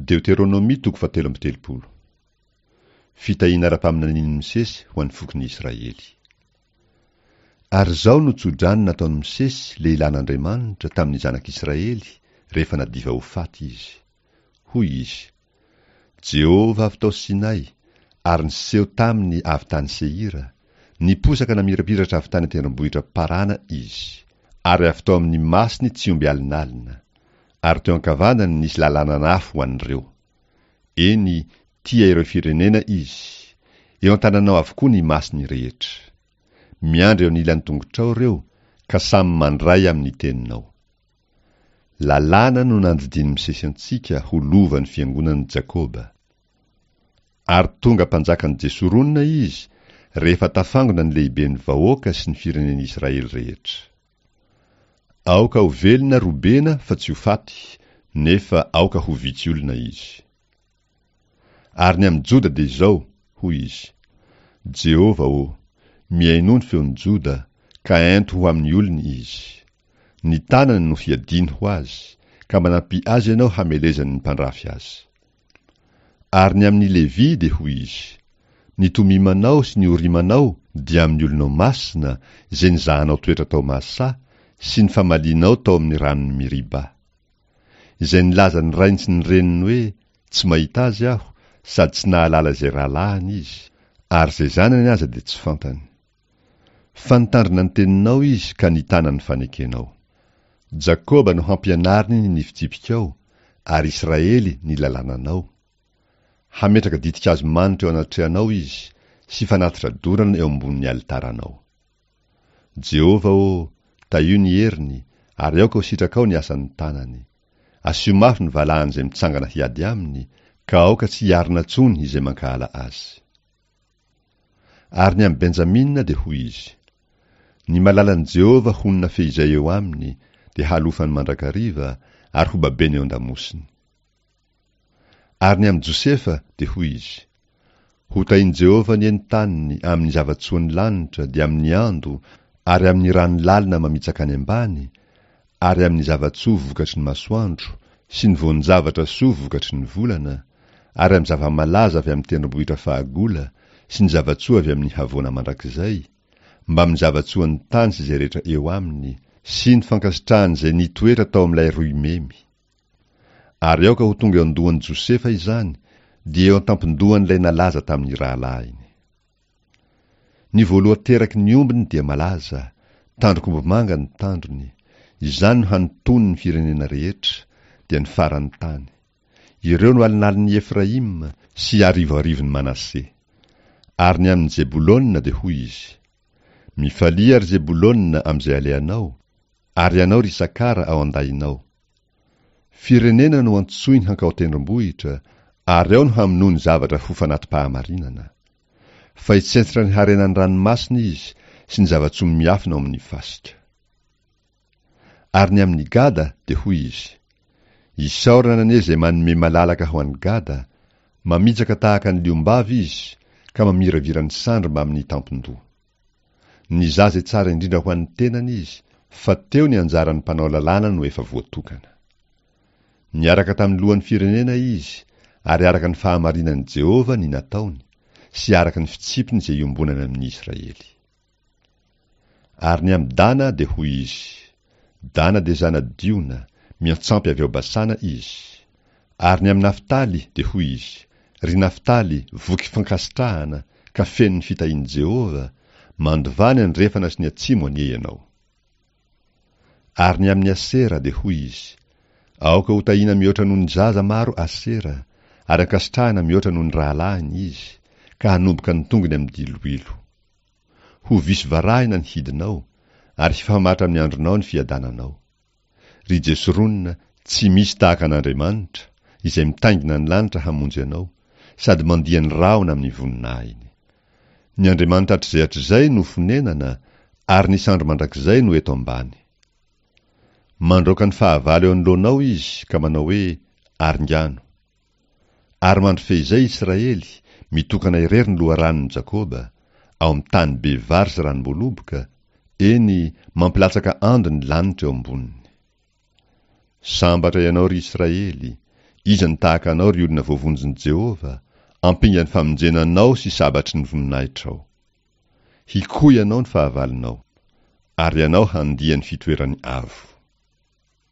Deoteronomia toko fahatelo amby telopolo. Fitahiana ara-paminanian'i Mosesy ho an'ny fokon'i Israely. Ary izao no tsodrano nataon'i Mosesy, lehilahin'Andriamanitra, tamin'ny zanak'Israely, rehefa nadiva ho faty izy. Hoy izy, Jehovah avy tao Sinay, ary niseho taminy avy tany Seira, niposaka namirapiratra avy tany an-tendrombohitra Parana izy, ary avy tao amin'ny masony tsy omby alinalina, ary teo ankavanany nisy lalanan'afo ho an'ireo. Eny, tia ireo firenena izy. Eo an-tananao avokoa ny masony rehetra. Miandry eo anilan'ny tongotrao ireo, ka samy mandray amin'ny teninao. Lalàna no nandidian'i Mosesy antsika ho lovan'ny fiangonan'i Jakoba. Ary tonga mpanjakan'i Jesorona izy rehefa tafangona ny lehiben'ny vahoaka sy ny firenen'Israely rehetra. Aoka ho velona Robena fa tsy ho faty, nefa aoka ho vitsy olona izy. Ary ny amin'i Joda dia izao, hoy izy, Jehovah ô, mihainoa ny feon'i Joda, ka ento ho amin'ny olony izy. Ny tanany no hiadiany ho azy, ka manampia azy ianao hamelezany ny mpandrafy azy. Ary ny amin'i Levy dia hoy izy, Ny Tomimanao sy ny Orimanao dia amin'ny olonao masina, izay nizahanao toetra tao Masà, sy ny famalianao tao amin'ny ranon'i Meriba. Izay nilaza ny rainy sy ny reniny hoe, Tsy mahita azy aho, sady tsy nahalala izay rahalahiny izy, ary izay zanany aza dia tsy fantany. Fa nitandrina ny teninao izy ka nitana ny fanekenao. Jakoba no hampianariny ny fitsipikao, ary Israely ny lalànanao. Hametraka ditin-kazo manitra eo anatrehanao izy, sy fanatitra dorana eo ambonin'ny alitaranao. Jehovah ô, tahio ny heriny, ary aoka ho sitrakao ny asan'ny tanany. Asio mafy ny valahan'izay mitsangana hiady aminy, ka aoka tsy hiarina intsony izay mankahala azy. Ary ny amin'i Benjamina dia hoy izy, Ny malalan'i Jehovah honina fehizay eo aminy, dia halofany mandrakariva, ary hobabeny eo an-damosiny. Ary ny amin'i Josefa, dia hoy izy, Hotahin'i Jehovah anie ny taniny amin'ny zava-tsoan'ny lanitra, dia amin'ny ando, ary amin'ny rano lalina mamitsaka any ambany, ary amin'ny zava-tsoa vokatry ny masoandro, sy ny voan-javatra soa vokatry ny volana, ary amin'ny zava-malaza avy amin'ny tendrombohitra fahagola, sy ny zava-tsoa avy amin'ny havoana mandrakizay, mbamin'ny zava-tsoan'ny tany sy izay rehetra eo aminy, sy ny fankasitrahan'izay nitoetra tao amin'ilay roimemy. Ary aoka ho tonga eo an-dohan'i Josefa izany, dia eo an-tampon-dohan'ilay nalaza tamin'ny rahalahiny. Ny voalohan-teraky ny ombiny dia malaza, tandrok'ombimanga ny tandrony, izany no hanontony ny firenena rehetra, dia ny faran'ny tany. Ireo no alinalin'i Efraima sy arivoarivon'i Manase. Ary ny amin'i Zebolona dia hoy izy, Mifalia, ry Zebolona, amin'izay alehanao, Ary ianao ry Isakara ao an-dahinao. Firenena no antsoiny hankao an-tendrombohitra, ary ao no hamonoany zavatra ho fanati-pahamarinana. Fa hitsentsitra ny harenan'ny ranomasina izy sy ny zava-tsoa miafina ao amin'ny fasika. Ary ny amin'i Gada dia hoy izy, Isaorana anie izay manome malalaka ho an'i Gada, mamitsaka tahaka ny liom-bavy izy, ka mamiravira ny sandry mbamin'ny tampon-doha. Nizaha izay tsara indrindra ho an'ny tenany izy, fa teo ny anjaran'ny mpanao lalàna no efa voatokana. Niaraka tamin'ny lohan'ny firenena izy, ary araka ny fahamarinan'i Jehovah ny nataony, sy araka ny fitsipiny izay iombonany amin'ny Israely. Ary ny amin'i Dana dia hoy izy, Dana dia zana-diona, miantsampy avy ao Basana izy. Ary ny amin'i Naftaly dia hoy izy, Ry Naftaly, voky fankasitrahana, ka feno ny fitahian'i Jehovah, mandovà ny andrefana sy ny atsimo anie ianao. Ary ny amin'i Asera dia hoy izy, Aoka hotahiana mihoatra noho ny zaza maro Asera, ary ankasitrahana mihoatra noho ny rahalahiny izy, ka hanomboka ny tongony amin'ny diloilo. Ho visy varahina ny hidinao, ary hifamatra amin'ny andronao ny fiadananao. Ry Jesorona, tsy misy tahaka an'Andriamanitra, izay mitaingina ny lanitra hamonjy anao, sady mandia ny rahona amin'ny voninahiny. Ny Andriamanitra hatrizay hatrizay no fonenana, ary ny sandry mandrakizay no eto ambany. Mandroaka ny fahavalo eo anoloanao Izy, ka manao hoe, Aringano. Ary mandry feizay Israely, mitokana irery ny loharanon'i Jakoba, ao amin'ny tany be vary sy ranom-boaloboka, eny, mampilatsaka ando ny lanitra eo amboniny. Sambatra ianao, ry Israely! Iza no tahaka anao, ry olona voavonjin'i Jehovah, ampingan'ny famonjena anao sy sabatry ny voninahitrao? Hikoy anao ny fahavalonao, ary ianao handia ny fitoerany avo.